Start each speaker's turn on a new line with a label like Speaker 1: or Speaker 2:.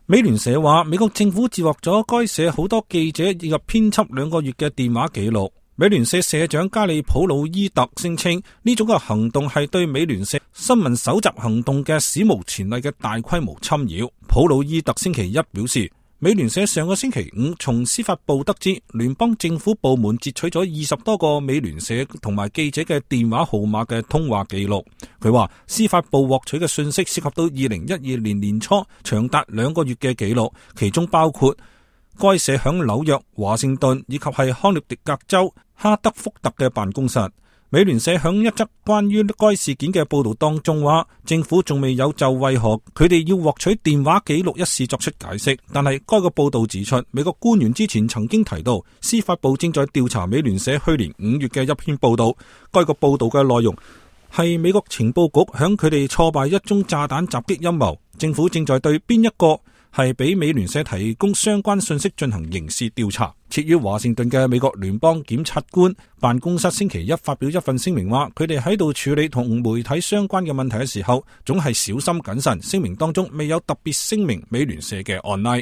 Speaker 1: 美聯社話，美國政府截獲咗該社好多記者以及編輯2個月嘅電話記錄。美聯社社長加里普魯伊特聲稱，呢種嘅行動係對美聯社新聞搜集行動嘅史無前例嘅大規模侵擾。普魯伊特星期一表示，美聯社上個星期五從司法部得知，聯邦政府部門截取咗20多個美聯社同埋記者嘅電話號碼嘅通話記錄。佢話司法部獲取嘅信息涉及到2012年年初長達2個月嘅記錄，其中包括該社響紐約、華盛頓以及係康涅狄格州哈德福特嘅辦公室。美聯社響一則關於該事件嘅報道當中話，政府仲未有就為何佢哋要獲取電話記錄一事作出解釋，但係該個報道指出，美國官員之前曾經提到，司法部正在調查美聯社去年5月嘅一篇報道。該個報道嘅內容係美國情報局響佢哋挫敗一宗炸彈襲擊陰謀，政府正在對邊一個係俾美聯社提供相關信息進行刑事調查。設於華盛頓嘅美國聯邦檢察官辦公室星期一發表一份聲明話，佢哋喺度處理同媒體相關嘅問題嘅時候，總係小心謹慎。聲明當中未有特別聲明美聯社嘅案例。